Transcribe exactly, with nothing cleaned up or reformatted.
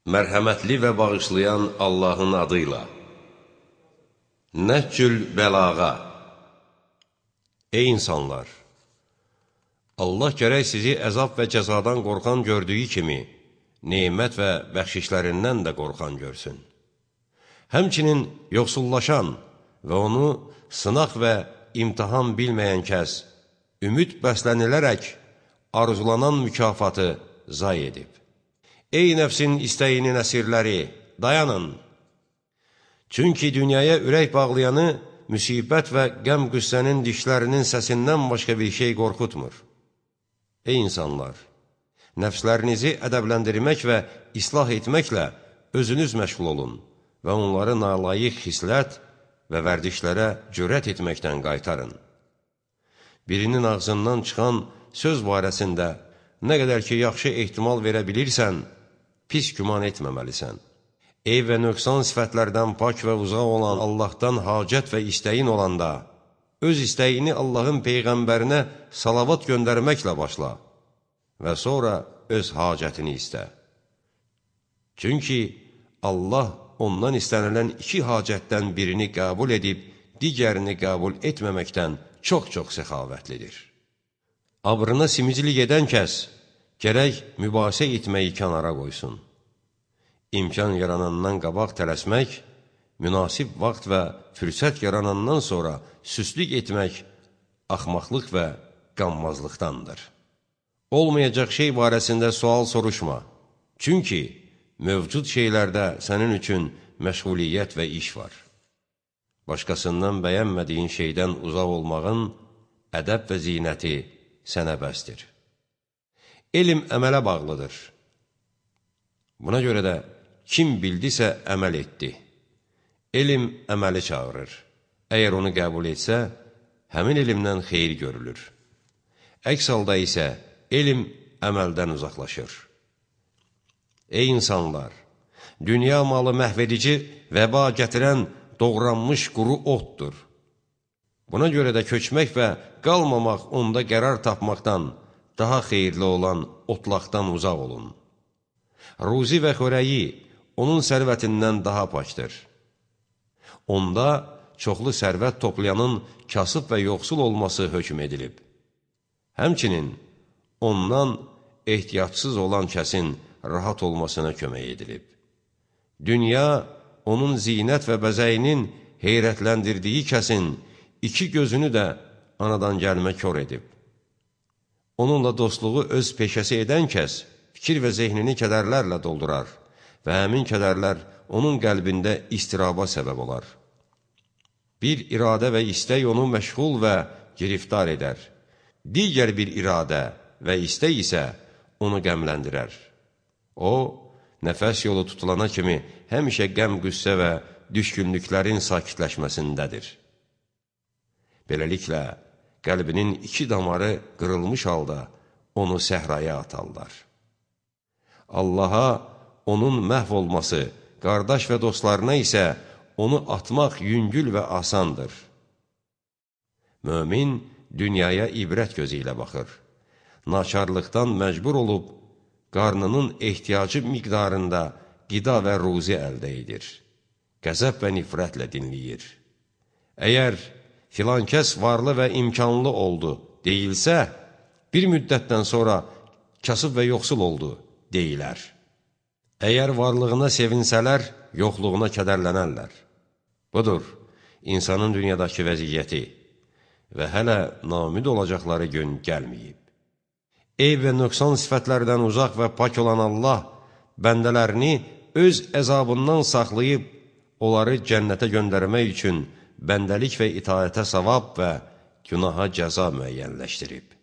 Mərhəmətli və bağışlayan Allahın adıyla. Nəhcül bəlağa. Ey insanlar! Allah gərək sizi əzab və cəzadan qorxan gördüyü kimi, nemət və bəxşişlərindən də qorxan görsün. Həmçinin yoxsullaşan və onu sınaq və imtihan bilməyən kəs, ümid bəslənilərək arzulanan mükafatı zay edib. Ey nəfsin istəyinin əsirləri, dayanın! Çünki dünyaya ürək bağlayanı müsibət və qəm-qüssənin dişlərinin səsindən başqa bir şey qorxutmur. Ey insanlar! Nəfslərinizi ədəbləndirmək və islah etməklə özünüz məşğul olun və onları nalayiq xislət və vərdişlərə cürət etməkdən qaytarın. Birinin ağzından çıxan söz barəsində nə qədər ki, yaxşı ehtimal verə bilirsən, pis güman etməməlisən. Eyb və nöqsan sifətlərdən pak və uzaq olan Allahdan hacət və istəyin olanda, öz istəyini Allahın Peyğəmbərinə salavat göndərməklə başla və sonra öz hacətini istə. Çünki Allah ondan istənilən iki hacətdən birini qəbul edib, digərini qəbul etməməkdən çox-çox səxavətlidir. Abrına simicilik edən kəs, gərək mübahisə etməyi kənara qoysun. İmkan yaranandan qabaq tələsmək, münasib vaxt və fürsət yaranandan sonra süslük etmək, axmaqlıq və qanmazlıqdandır. Olmayacaq şey barəsində sual soruşma. Çünki mövcud şeylərdə sənin üçün məşğuliyyət və iş var. Başqasından bəyənmədiyin şeydən uzaq olmağın ədəb və zinəti sənə bəsdir. Elm əmələ bağlıdır. Buna görə də kim bildisə əməl etdi. Elm əməli çağırır. Əgər onu qəbul etsə, həmin elmdən xeyir görülür. Əks halda isə elm əməldən uzaqlaşır. Ey insanlar! Dünya malı məhvedici, vəba gətirən doğranmış quru otdur. Buna görə də köçmək və qalmamaq onda qərar tapmaqdan, daha xeyirli olan otlaqdan uzaq olun. Ruzi və xörəyi onun sərvətindən daha pakdır. Onda çoxlu sərvət toplayanın kasıb və yoxsul olması hökm edilib. Həmçinin ondan ehtiyatsız olan kəsin rahat olmasına kömək edilib. Dünya onun zinət və bəzəyinin heyrətləndirdiyi kəsin iki gözünü də anadan gəlmə kör edib. Onunla dostluğu öz peşəsi edən kəs fikir və zehnini kədərlərlə doldurar və həmin kədərlər onun qəlbində istiraba səbəb olar. Bir iradə və istək onu məşğul və giriftar edər. Digər bir iradə və istək isə onu qəmləndirər. O, nəfəs yolu tutulana kimi həmişə qəm-qüssə və düşkünlüklərin sakitləşməsindədir. Beləliklə, qəlbinin iki damarı qırılmış halda onu səhraya atarlar. Allaha onun məhv olması, qardaş və dostlarına isə onu atmaq yüngül və asandır. Mömin dünyaya ibrət gözü ilə baxır. Naçarlıqdan məcbur olub, qarnının ehtiyacı miqdarında qida və ruzi əldə edir. Qəzəb və nifrətlə dinləyir. Əgər filan kəs varlı və imkanlı oldu deyilsə, bir müddətdən sonra kasıb və yoxsul oldu deyilər. Əgər varlığına sevinsələr, yoxluğuna kədərlənərlər. Budur, insanın dünyadakı vəziyyəti və hələ namid olacaqları gün gəlməyib. Eyb və nöqsan sifətlərdən uzaq və pak olan Allah bəndələrini öz əzabından saxlayıb, onları cənnətə göndərmək üçün bəndəlik və itaətə savab və günaha cəza müəyyənləşdirib.